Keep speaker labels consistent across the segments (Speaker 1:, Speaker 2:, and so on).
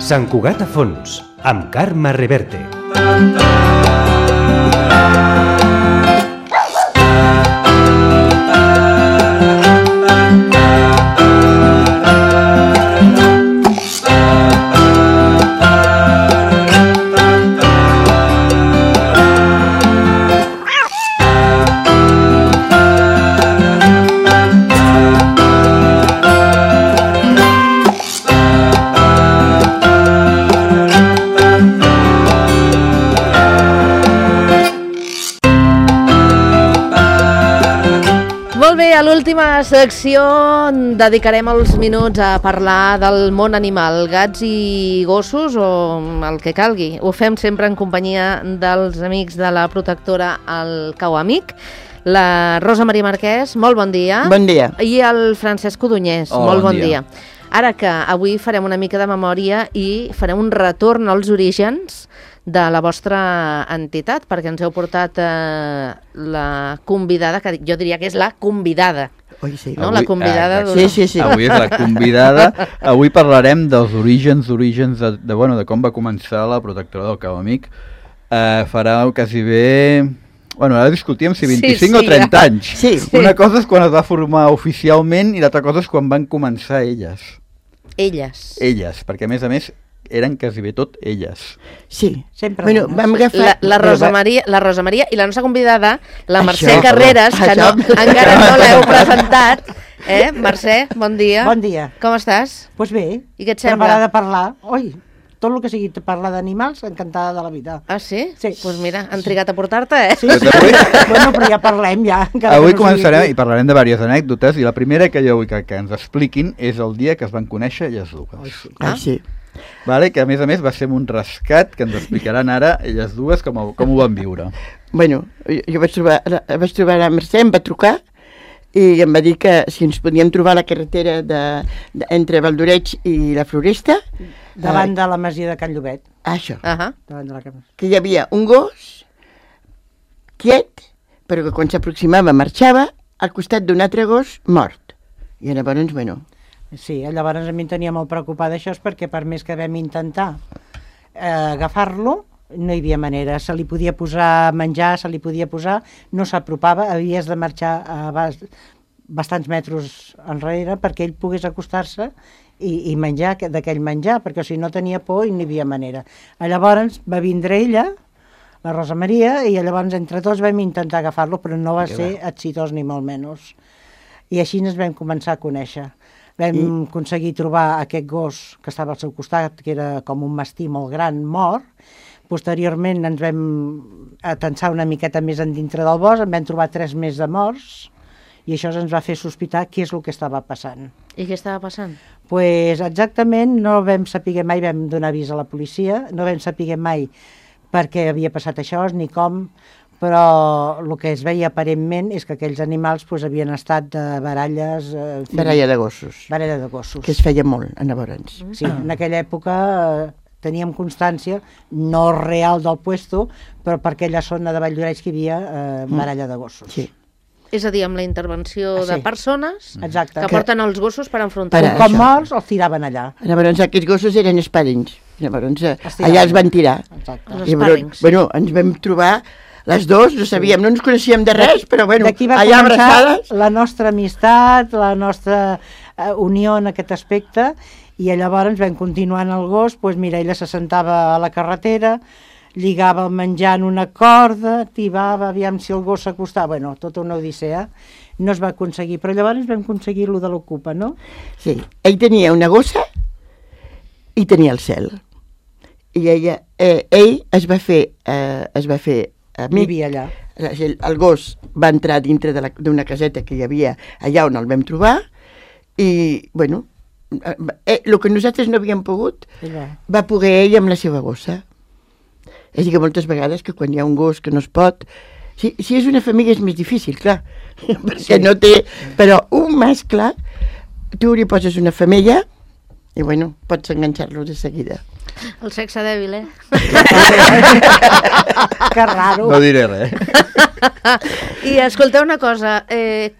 Speaker 1: Sant Cugat a fons, amb Carme Reverte.
Speaker 2: A l'última secció dedicarem els minuts a parlar del món animal, gats i gossos o el que calgui. Ho fem sempre en companyia dels amics de la protectora El Cau Amic, la Rosa Maria Marquès, molt bon dia.
Speaker 3: Bon dia.
Speaker 2: I el Francesc Codonyés, molt bon dia. Ara que avui farem una mica de memòria i farem un retorn als orígens de la vostra entitat, perquè ens heu portat la convidada, que jo diria que és la convidada.
Speaker 3: Oi, sí.
Speaker 2: No? La convidada
Speaker 3: sí.
Speaker 4: Avui és la convidada. Avui parlarem dels orígens de com va començar la protectora del Cau Amic. Farà quasi bé... Bueno, ara discutíem si 25 o 30 anys.
Speaker 3: Sí.
Speaker 4: Una cosa és quan es va formar oficialment i l'altra cosa és quan van començar elles. Elles, perquè a més eren quasi bé tot elles.
Speaker 3: Sí,
Speaker 2: sempre.
Speaker 3: Bueno, vam agafar...
Speaker 2: La Rosa Maria i la nostra convidada, la Mercè Carreras, que encara no l'heu presentat. Mercè, bon dia.
Speaker 5: Bon dia.
Speaker 2: Com estàs?
Speaker 5: Doncs bé,
Speaker 2: I què et sembla?
Speaker 5: preparada a parlar. Oi, tot el que sigui parlar d'animals, encantada de la vida.
Speaker 2: Ah, sí?
Speaker 5: Sí.
Speaker 2: Doncs mira, han trigat a portar-te,
Speaker 5: Sí. Bueno, però ja parlem, ja.
Speaker 4: Avui començarem i parlarem de diverses anècdotes i la primera que jo vull que ens expliquin és el dia que es van conèixer elles dues.
Speaker 3: Sí.
Speaker 4: Vale, que a més va ser un rescat que ens explicaran ara elles dues com ho van viure.
Speaker 3: Bueno, jo vaig trobar la Mercè, em va trucar i em va dir que si ens podíem trobar a la carretera entre Valdoreig i la Floresta,
Speaker 5: davant de la masia de Can Llobet.
Speaker 3: Això,
Speaker 5: Davant de la casa.
Speaker 3: que hi havia un gos quiet, però que quan s'aproximava marxava al costat d'un altre gos mort. I llavors, bueno...
Speaker 5: Sí, llavors a mi em tenia molt preocupada això, perquè per més que vam intentar agafar-lo, no hi havia manera. Se li podia posar menjar, no s'apropava, havies de marxar bastants metres enrere perquè ell pogués acostar-se i menjar d'aquell menjar, perquè si no tenia por i no hi havia manera. Llavors va vindre ella, la Rosa Maria, i llavors entre tots vam intentar agafar-lo, però no va ser exitós ni molt menys. I així ens vam començar a conèixer. Vam aconseguir trobar aquest gos que estava al seu costat, que era com un mastí molt gran, mort. Posteriorment ens vam atensar una miqueta més endintre del bosc, en vam trobar 3 més de morts, i això ens va fer sospitar què és el que estava passant.
Speaker 2: I què estava passant?
Speaker 5: Pues exactament no vam saber mai, vam donar avís a la policia, no vam saber mai per què havia passat això, ni com, però el que es veia aparentment és que aquells animals havien estat de baralles...
Speaker 3: Baralla de gossos.
Speaker 5: Baralla de gossos.
Speaker 3: Que es feia molt, llavors.
Speaker 5: Sí, en aquella època teníem constància, no real del puesto, però per aquella zona de Valldoreix que hi havia baralla de gossos.
Speaker 3: Sí.
Speaker 2: És a dir, amb la intervenció de persones que porten els gossos per enfrontar-los.
Speaker 5: Com morts, els tiraven allà.
Speaker 3: Llavors aquests gossos eren esparrins. Llavors allà els van tirar.
Speaker 2: Els esparrins.
Speaker 3: Bueno, ens vam trobar les dues, no sabíem, no ens coneixíem de res, però bueno,
Speaker 5: d'aquí va
Speaker 3: allà
Speaker 5: començar
Speaker 3: abraçades.
Speaker 5: La nostra amistat, la nostra unió en aquest aspecte, i llavors vam continuar en el gos, mira, ella se sentava a la carretera, lligava el menjar en una corda, tibava, aviam si el gos s'acostava, bueno, tota una odissea, no es va aconseguir, però llavors vam aconseguir lo de l'ocupa, no?
Speaker 3: Sí, ell tenia una gossa i tenia el cel, i ell es va fer amic.
Speaker 5: Vivia allà.
Speaker 3: El gos va entrar dintre d'una caseta que hi havia allà on el vam trobar i, bueno, el que nosaltres no havíem pogut va poder ell amb la seva gossa. És a dir, que moltes vegades que quan hi ha un gos que no es pot... Si és una família és més difícil, clar, perquè no té... Però un mascle, tu li poses una femella i, bueno, pots enganxar-lo de seguida.
Speaker 2: El sexe dèbil,
Speaker 5: Que raro.
Speaker 4: No diré res.
Speaker 2: I escolteu una cosa,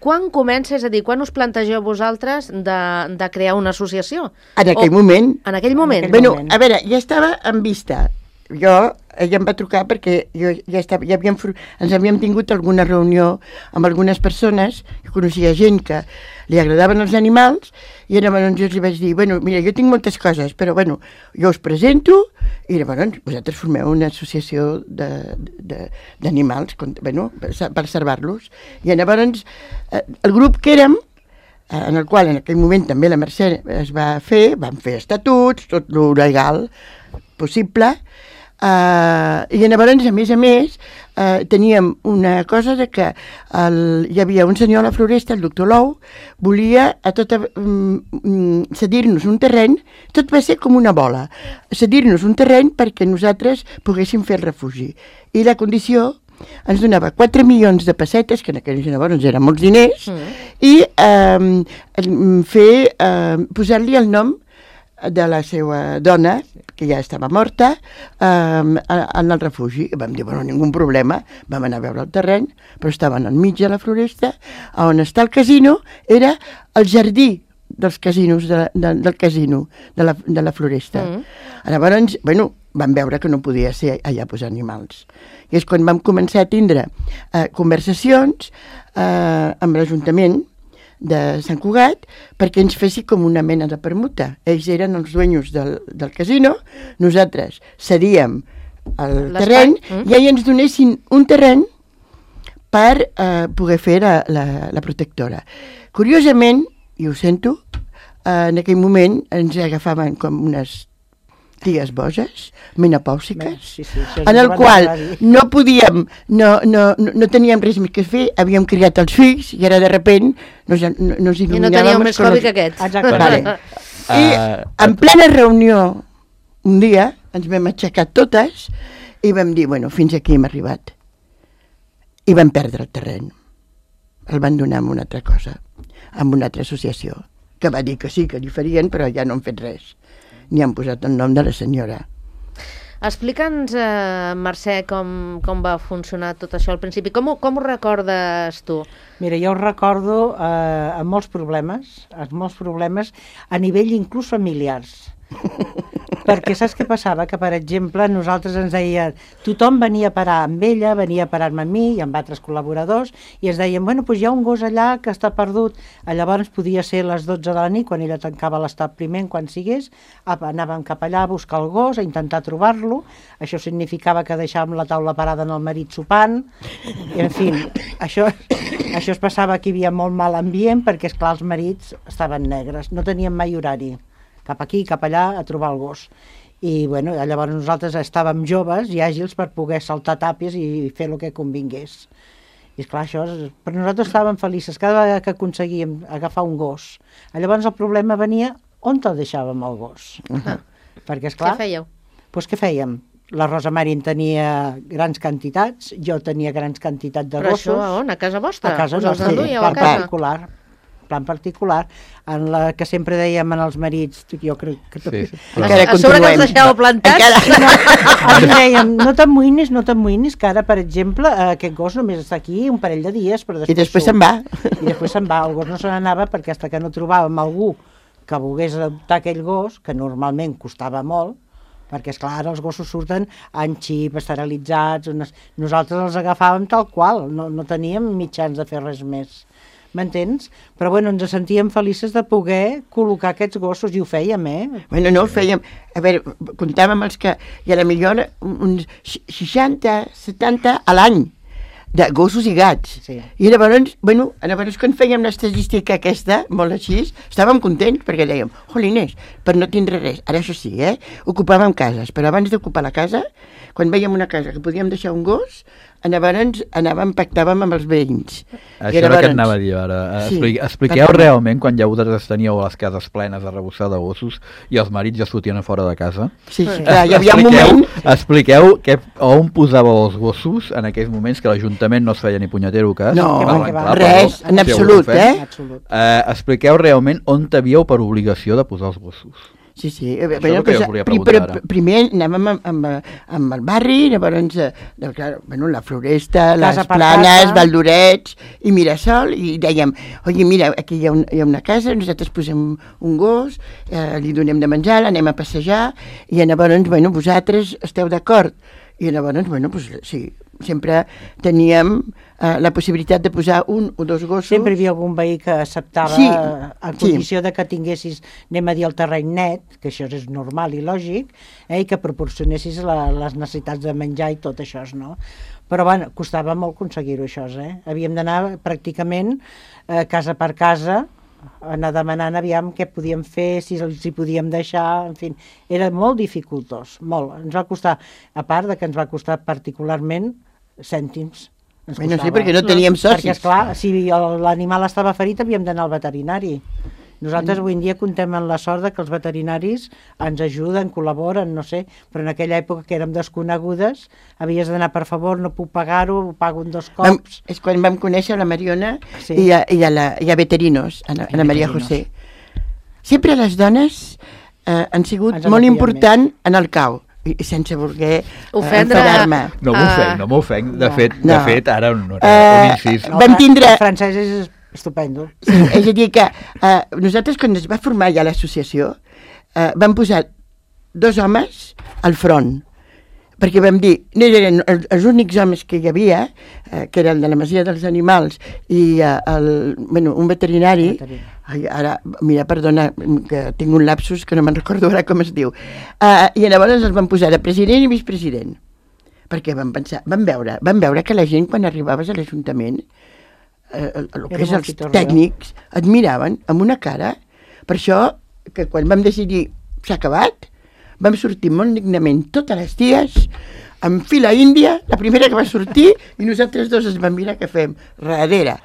Speaker 2: quan comença, és a dir, quan us plantegeu vosaltres de crear una associació?
Speaker 3: En aquell moment.
Speaker 2: En aquell moment?
Speaker 3: Bueno, a veure, ja estava en vista. Ella em va trucar perquè ens havíem tingut alguna reunió amb algunes persones, que coneixia gent que li agradaven els animals, i llavors jo els vaig dir, bueno, mira, jo tinc moltes coses, però bueno, jo us presento, i llavors vosaltres formeu una associació d'animals, bueno, per salvar-los. I llavors el grup que érem, en el qual en aquell moment també la Mercè es va fer, van fer estatuts, tot lo legal possible, i llavors, a més, teníem una cosa de que hi havia un senyor a la Floresta, el doctor Lou, volia cedir-nos un terreny, tot va ser com una bola, cedir-nos un terreny perquè nosaltres poguéssim fer el refugi. I la condició ens donava 4 milions de pessetes, que en aquells llavors eren molts diners, i posar-li el nom de la seva dona, que ja estava morta, en el refugi. I vam dir, bueno, ningú problema, vam anar a veure el terreny, però estaven enmig de la Floresta, on està el casino, era el jardí dels casinos, del casino, de la Floresta. Llavors, bueno, vam veure que no podia ser allà posar animals. I és quan vam començar a tindre conversacions amb l'Ajuntament de Sant Cugat perquè ens fessi com una mena de permuta. Ells eren els dueños del casino, nosaltres cedíem el terreny i ells ens donessin un terreny per poder fer la protectora. Curiosament, i ho sento, en aquell moment ens agafaven com unes ties boges, menopàusiques, en el qual no podíem, no teníem res més que fer, havíem criat els fills i ara de repent nos il·luminàvem.
Speaker 2: I no teníeu més hobby que aquests.
Speaker 3: Vale. I en plena reunió un dia ens vam aixecar totes i vam dir, bueno, fins aquí hem arribat. I vam perdre el terreny. El van donar amb una altra cosa, amb una altra associació, que va dir que sí, que li farien, però ja no han fet res. Ni han posat el nom de la senyora.
Speaker 2: Explica'ns, Mercè, com va funcionar tot això al principi. Com ho recordes tu?
Speaker 5: Mira, jo ho recordo amb molts problemes a nivell inclús familiars. Perquè saps què passava? Que, per exemple, nosaltres ens deien, tothom venia a parar amb ella, venia a parar-me amb mi i amb altres col·laboradors, i ens deien, bueno, doncs hi ha un gos allà que està perdut. Llavors podia ser les 12 de la nit, quan ella tancava l'establiment, quan sigués, anàvem cap allà a buscar el gos, a intentar trobar-lo. Això significava que deixàvem la taula parada en el marit sopant, i, en fi, això es passava que hi havia molt mal ambient, perquè, esclar, els marits estaven negres, no tenien mai horari. Cap aquí, cap allà, a trobar el gos. I, bueno, llavors nosaltres estàvem joves i àgils per poder saltar tàpies i fer el que convingués. I, esclar, però nosaltres estàvem felices cada vegada que aconseguíem agafar un gos. Llavors el problema venia on el deixàvem el gos. Perquè, esclar...
Speaker 2: Què fèieu?
Speaker 5: Doncs què fèiem? La Rosa Marín tenia grans quantitats, jo tenia grans quantitats de gossos.
Speaker 2: Però això on? A casa vostra?
Speaker 5: A casa nostra, plan particular, en la que sempre dèiem en els marits, jo crec que...
Speaker 4: Sí.
Speaker 2: A sobre que els deixeu plantats?
Speaker 5: Ens dèiem, no t'amoïnis, que ara, per exemple, aquest gos només està aquí un parell de dies, però
Speaker 3: després... I després se'n va.
Speaker 5: I després se'n va, el gos no se n'anava perquè fins que no trobàvem algú que volgués adoptar aquell gos, que normalment costava molt, perquè, esclar, els gossos surten en xip, esterilitzats, nosaltres els agafàvem tal qual, no teníem mitjans de fer res més. M'entens? Però, bueno, ens sentíem felices de poder col·locar aquests gossos, i ho fèiem,
Speaker 3: Bueno, no, ho fèiem. A veure, comptàvem els que hi ha millor uns 60, 70 a l'any de gossos i gats.
Speaker 5: Sí.
Speaker 3: I llavors, bueno, quan fèiem l'estadística aquesta, molt així, estàvem contents perquè dèiem, jolines, per no tindre res. Ara això sí, ocupàvem cases, però abans d'ocupar la casa, quan vèiem una casa que podíem deixar un gos, pactàvem amb els veïns.
Speaker 4: Això era el que et anava a dir ara. Expliqueu realment quan ja vosaltres teníeu les cases plenes de rebossar de gossos i els marits ja sortien a fora de casa.
Speaker 3: Sí, clar, hi havia un moment...
Speaker 4: Expliqueu on posàveu els gossos en aquells moments que l'Ajuntament no es feia ni punyetero cas.
Speaker 3: No, res, en absolut,
Speaker 4: Expliqueu realment on havíeu per obligació de posar els gossos.
Speaker 3: Sí.
Speaker 4: Això és el que jo volia preguntar ara.
Speaker 3: Primer anàvem amb el barri, llavors, la Floresta, les Planes, Valdorets i Mirasol, i dèiem, oi, mira, aquí hi ha una casa, nosaltres posem un gos, li donem de menjar, l'anem a passejar, i llavors, vosaltres esteu d'acord? I llavors, sí, sempre teníem la possibilitat de posar un o dos gossos.
Speaker 5: Sempre hi havia algun veí que acceptava a condició de que tinguessis, anem a dir, el terreny net, que això és normal i lògic, i que proporcionessis les necessitats de menjar i tot això, no? Però, costava molt aconseguir-ho, això, Havíem d'anar pràcticament casa per casa, anar demanant aviam què podíem fer, si els hi podíem deixar, en fi, era molt dificultós, molt. Ens va costar, a part de que ens va costar particularment cèntims.
Speaker 3: Sí, perquè no teníem socis.
Speaker 5: Perquè, esclar, si l'animal estava ferit havíem d'anar al veterinari. Nosaltres avui en dia contem amb la sort que els veterinaris ens ajuden, col·laboren, no sé, però en aquella època que érem desconegudes havies d'anar, per favor, no puc pagar-ho, ho pago en 2 cops.
Speaker 3: És quan vam conèixer la Mariona i a Veterinos, a la Maria José. Sempre les dones han sigut molt important en el cau, i sense voler enfadar-me.
Speaker 4: No m'ofenc. De fet, ara un incís.
Speaker 3: Vam tindre...
Speaker 5: El francès és estupendo.
Speaker 3: Sí, és a dir que nosaltres, quan es va formar ja l'associació, vam posar 2 homes al front, perquè vam dir, no eren els únics homes que hi havia, que era el de la Masia dels Animals i un veterinari. Ara, mira, perdona, que tinc un lapsus que no me'n recordo ara com es diu. I llavors els vam posar de president i vicepresident, perquè vam veure que la gent, quan arribaves a l'Ajuntament, el que és els tècnics et miraven amb una cara. Per això que quan vam decidir s'ha acabat, vam sortir molt dignament totes les dies en fila índia, la primera que va sortir, i nosaltres dos es vam mirar què fem darrere.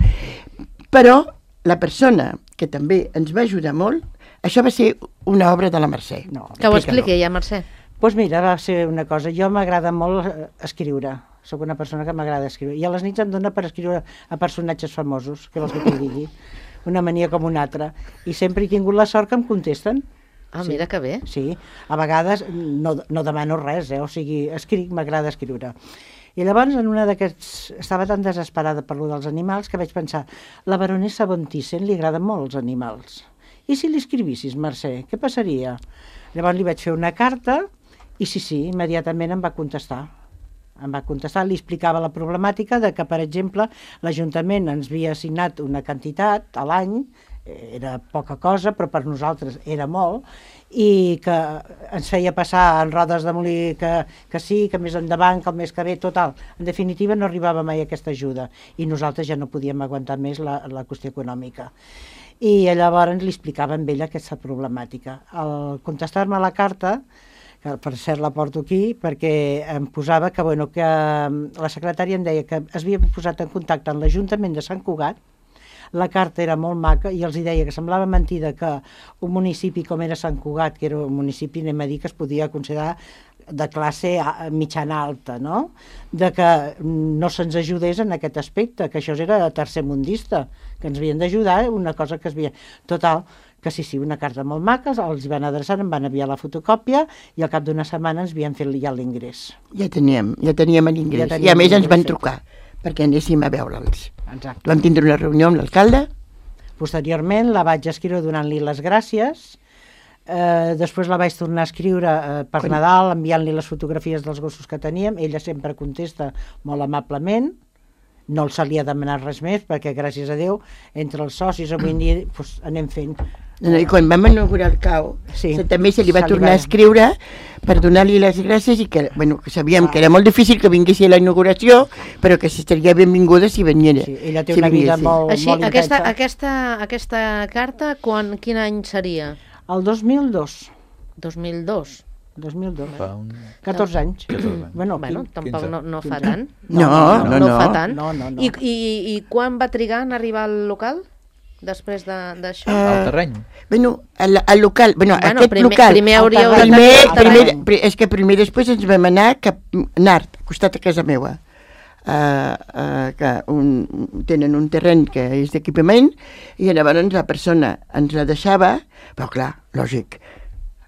Speaker 3: Però la persona que també ens va ajudar molt, això va ser una obra de la Mercè.
Speaker 2: Que ho expliqui ja, Mercè.
Speaker 5: Doncs mira, va ser una cosa, jo m'agrada molt escriure, soc una persona que m'agrada escriure, i a les nits em dona per escriure a personatges famosos, que vols que t'hi digui, una mania com una altra, i sempre he tingut la sort que em contesten.
Speaker 2: Mira que bé.
Speaker 5: Sí, a vegades no demano res, o sigui, escric, m'agrada escriure. I llavors, en una d'aquests, estava tan desesperada per lo dels animals que vaig pensar, la baronessa von Thyssen li agraden molt els animals. I si li escrivissis, Mercè, què passaria? Llavors li vaig fer una carta i sí, immediatament em va contestar. Li explicava la problemàtica de que, per exemple, l'Ajuntament ens havia assignat una quantitat a l'any, era poca cosa, però per nosaltres era molt, i que ens feia passar en rodes de molí que sí, que més endavant, que el mes que ve, total. En definitiva, no arribava mai aquesta ajuda, i nosaltres ja no podíem aguantar més la qüestió econòmica. I llavors li explicava a ella aquesta problemàtica. Al contestar-me la carta, que per cert la porto aquí, perquè em posava que la secretària em deia que es havia posat en contacte amb l'Ajuntament de Sant Cugat, la carta era molt maca i els deia que semblava mentida que un municipi com era Sant Cugat, que era un municipi, anem a dir, que es podia considerar de classe mitjana alta, no? De que no se'ns ajudés en aquest aspecte, que això era tercermundista, que ens havien d'ajudar, una cosa que es havia... Total, que sí, una carta molt maca, els van adreçar, em van enviar la fotocòpia i al cap d'una setmana ens havien fet ja l'ingrés.
Speaker 3: Ja teníem l'ingrés, i a més ens van trucar perquè anéssim a veure'ls.
Speaker 5: Exacte.
Speaker 3: Vam tindre una reunió amb l'alcalde.
Speaker 5: Posteriorment la vaig escriure donant-li les gràcies, després la vaig tornar a escriure per Nadal, enviant-li les fotografies dels gossos que teníem, ella sempre contesta molt amablement, no se li ha demanat res més, perquè gràcies a Déu, entre els socis avui en dia anem fent.
Speaker 3: I quan vam inaugurar el CAO, també se li va tornar a escriure per donar-li les gràcies i que sabíem que era molt difícil que vinguessi a la inauguració, però que seria benvinguda si veniera.
Speaker 5: Sí, ella té una vida molt intensa.
Speaker 2: Aquesta carta, quin any seria?
Speaker 5: El 2002.
Speaker 2: 2002?
Speaker 5: 2002. 14 anys.
Speaker 2: Bueno, tampoc no fa tant.
Speaker 3: No
Speaker 2: fa tant. I quan va trigar en arribar al local? Després d'això?
Speaker 4: Al terreny?
Speaker 3: El local, aquest local...
Speaker 2: Primer hauríeu de tenir el terreny.
Speaker 3: És que primer després ens vam anar cap a Nart, al costat de casa meva. Que tenen un terreny que és d'equipament i llavors la persona ens la deixava, però clar, lògic,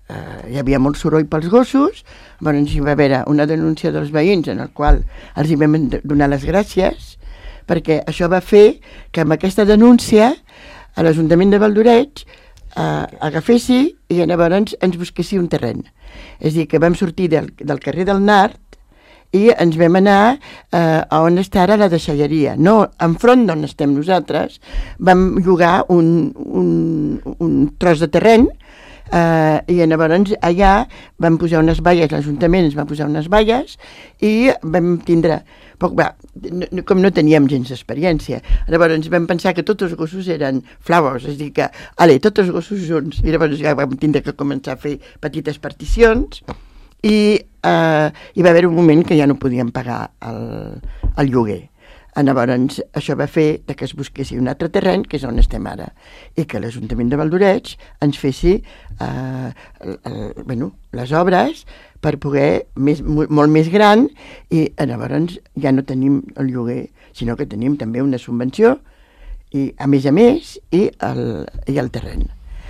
Speaker 3: hi havia molt soroll pels gossos, llavors hi va haver una denúncia dels veïns en el qual els hi vam donar les gràcies, perquè això va fer que amb aquesta denúncia a l'Ajuntament de Valdoreig agafessi i llavors ens busquessi un terreny. És a dir, que vam sortir del carrer del Nart i ens vam anar a on està ara la deixalleria. No, enfront d'on estem nosaltres, vam llogar un tros de terreny i llavors allà vam posar unes valles, l'Ajuntament ens va posar unes valles i vam tindre com no teníem gens d'experiència, llavors vam pensar que tots els gossos eren flowers, és a dir que, tots els gossos junts, i llavors ja vam tindre que començar a fer petites particions i hi va haver un moment que ja no podíem pagar el lloguer. Llavors això va fer que es busquessi un altre terreny, que és on estem ara, i que l'Ajuntament de Valdoreig ens fessi les obres per poder molt més gran, i llavors ja no tenim el lloguer, sinó que tenim també una subvenció i a més i el terreny.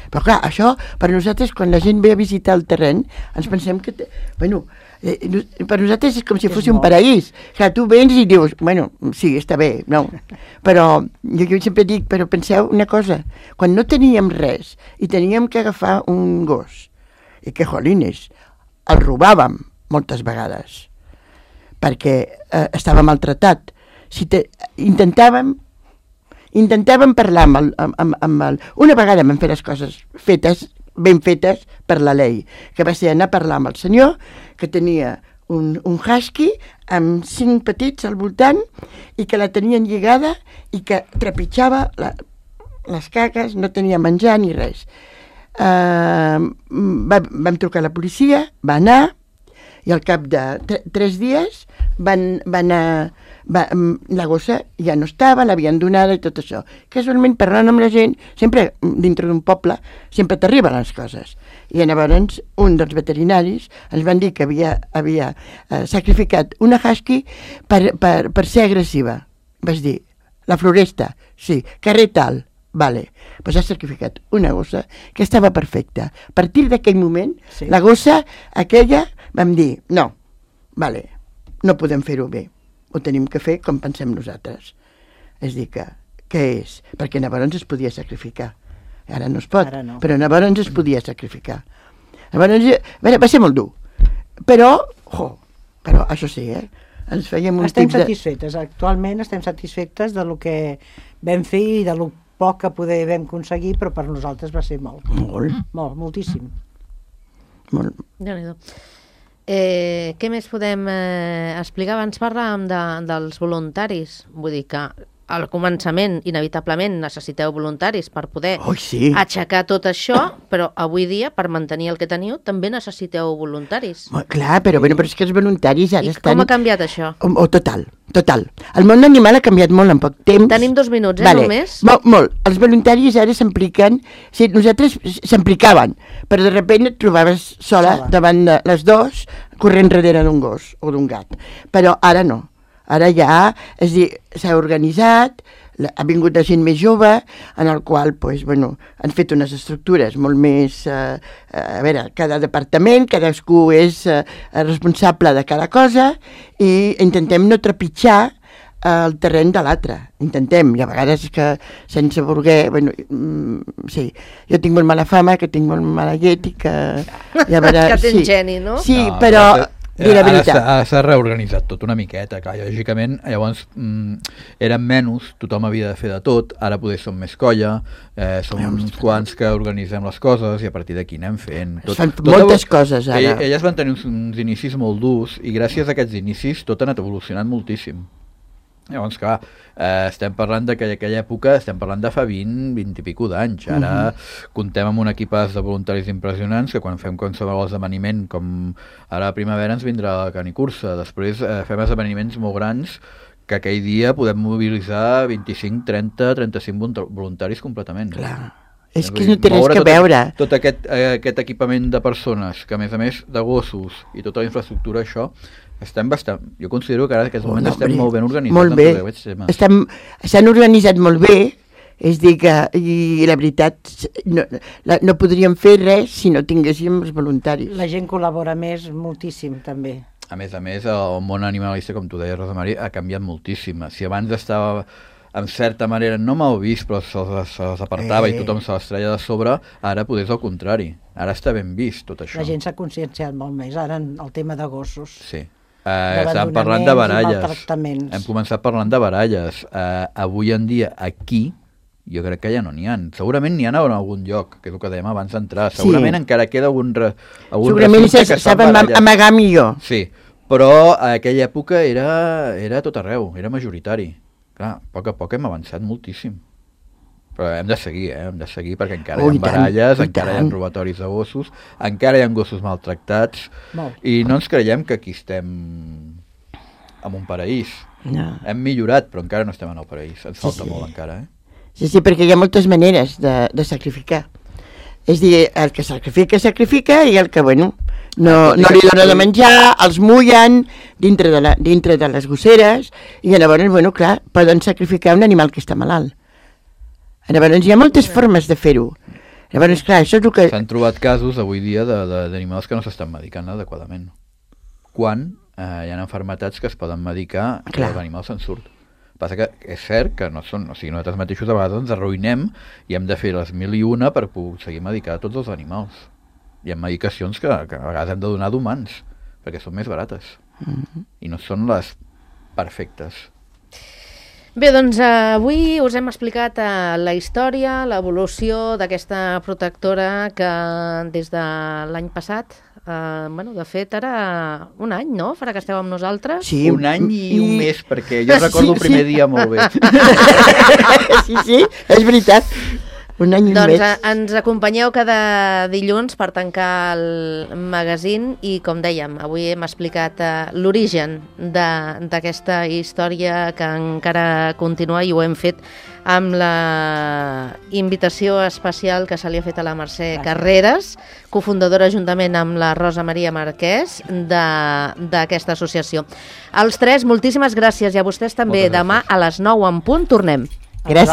Speaker 3: Però clar, això per nosaltres, quan la gent ve a visitar el terreny, ens pensem que per nosaltres és com si fos un paraís. Clar, tu vens i dius, sí, està bé, no. Però jo sempre dic, però penseu una cosa, quan no teníem res i teníem que agafar un gos, i que jolines, el robàvem moltes vegades, perquè estava maltratat. Intentàvem parlar amb el... Una vegada vam fer les coses ben fetes per la llei, que va ser anar a parlar amb el senyor, que tenia un husky amb 5 petits al voltant i que la tenien lligada i que trepitjava les caques, no tenia menjar ni res. Vam trucar a la policia, va anar, i al cap de 3 dies la gossa ja no estava, l'havien donada i tot això. Casualment, parlant amb la gent, sempre dintre d'un poble, sempre t'arriben les coses. I llavors un dels veterinaris ens van dir que havia sacrificat una husky per ser agressiva. Vas dir, la Floresta, sí, carrer tal, vale. Pues ha sacrificat una gossa que estava perfecta. A partir d'aquell moment, sí. La gossa aquella, vam dir, no, vale, no podem fer-ho bé. Ho tenim que fer com pensem nosaltres. És dir, que què és? Perquè llavors es podia sacrificar. Ara no es pot, no. Però llavors es podia sacrificar. Llavors, va ser molt dur. Però això sí, ens fèiem un
Speaker 5: estem satisfetes, actualment estem satisfetes de lo que vam fer i de lo poc que vam aconseguir, però per nosaltres va ser molt. Molt, moltíssim.
Speaker 3: Molt.
Speaker 2: Déu-n'hi-do. Què més podem explicar? Abans parlàvem dels voluntaris, vull dir que al començament inevitablement necessiteu voluntaris per poder aixecar tot això, però avui dia per mantenir el que teniu també necessiteu voluntaris.
Speaker 3: Clar, però és que els voluntaris ara estan...
Speaker 2: Com ha canviat això?
Speaker 3: Total. El món animal ha canviat molt en poc temps.
Speaker 2: Tenim 2 minuts, només?
Speaker 3: Molt. Els voluntaris ara s'impliquen, nosaltres s'implicaven, però de sobte et trobaves sola davant de les 2 corrent darrere d'un gos o d'un gat. Però ara no. Ara ja, és a dir, s'ha organitzat, ha vingut la gent més jove, en el qual, han fet unes estructures molt més... a veure, cada departament, cadascú és responsable de cada cosa, i intentem no trepitjar el terreny de l'altre. Intentem, i a vegades que sense voler... sí, jo tinc molt mala fama, que tinc molt mala llet i que...
Speaker 2: Que tens geni, no?
Speaker 3: Sí, però...
Speaker 4: Ara s'ha reorganitzat tot una miqueta, clar, lògicament, llavors eren menys, tothom havia de fer de tot, ara poder som més colla, som uns quants que organitzem les coses i a partir d'aquí anem fent.
Speaker 3: Es fan moltes coses ara.
Speaker 4: Elles van tenir uns inicis molt durs i gràcies a aquests inicis tot ha anat evolucionant moltíssim. Llavors, clar, estem parlant d'aquella època, estem parlant de fa 20 i pico d'anys. Ara comptem amb un equipàs de voluntaris impressionants que quan fem qualsevol esdeveniment, com ara a primavera ens vindrà la canicursa, després fem esdeveniments molt grans que aquell dia podem mobilitzar 25, 30, 35 voluntaris completament.
Speaker 3: Clar. És que no té res que veure.
Speaker 4: Tot aquest equipament de persones, que a més de gossos i tota la infraestructura, això, jo considero que ara en aquests moments estem molt ben organitzats.
Speaker 3: Molt bé. S'han organitzat molt bé, És dir que, i la veritat, no podríem fer res si no tinguéssim els voluntaris.
Speaker 5: La gent col·labora més moltíssim, també.
Speaker 4: A més, el món animalista, com tu deies, Rosa Maria, ha canviat moltíssim. Si abans estava, en certa manera, no mal vist, però se'ls apartava i tothom se les treia de sobre, ara potser és el contrari. Ara està ben vist, tot això.
Speaker 5: La gent s'ha conscienciat molt més, ara en el tema de gossos.
Speaker 4: Sí. Estàvem parlant de baralles.
Speaker 5: Hem
Speaker 4: començat parlant de baralles. Avui en dia, aquí, jo crec que ja no n'hi ha. Segurament n'hi ha en algun lloc, que és el que dèiem abans d'entrar. Segurament encara queda algun
Speaker 3: segurament saben amagar millor.
Speaker 4: Sí, però a aquella època era tot arreu, era majoritari. Clar, a poc hem avançat moltíssim. Però hem de seguir perquè encara hi ha baralles, encara hi ha robatoris de gossos, encara hi ha gossos maltractats, i no ens creiem que aquí estem en un paraís.
Speaker 3: No.
Speaker 4: Hem millorat, però encara no estem en el paraís. Ens falta molt encara,
Speaker 3: Sí, perquè hi ha moltes maneres de sacrificar. És dir, el que sacrifica, i el que, bueno, no li dona de menjar, els mullen dintre de les gosseres, i llavors, bueno, clar, poden sacrificar un animal que està malalt. Llavors hi ha moltes formes de fer-ho. Llavors, clar, això és el que...
Speaker 4: S'han trobat casos avui dia d'animals que no s'estan medicant adequadament. Quan hi ha malalties que es poden medicar i l'animal se'n surt. Passa que és cert que no són... O sigui, nosaltres mateixos a vegades ens arruïnem i hem de fer les 1001 per aconseguir medicar tots els animals. Hi ha medicacions que a vegades hem de donar d'humans, perquè són més barates. I no són les perfectes.
Speaker 2: Bé, doncs avui us hem explicat la història, l'evolució d'aquesta protectora que des de l'any passat, de fet ara un any, no? Farà que esteu amb nosaltres?
Speaker 3: Sí,
Speaker 4: un any i un mes, perquè jo recordo el primer dia molt bé.
Speaker 3: Sí, és veritat. Un any i un mes.
Speaker 2: Doncs ens acompanyeu cada dilluns per tancar el magazín i, com dèiem, avui hem explicat l'origen d'aquesta història que encara continua i ho hem fet amb la invitació especial que se li ha fet a la Mercè Carreras, cofundadora juntament amb la Rosa Maria Marquès d'aquesta associació. Als tres, moltíssimes gràcies i a vostès també. Demà a les 9 en punt tornem.
Speaker 3: Gràcies.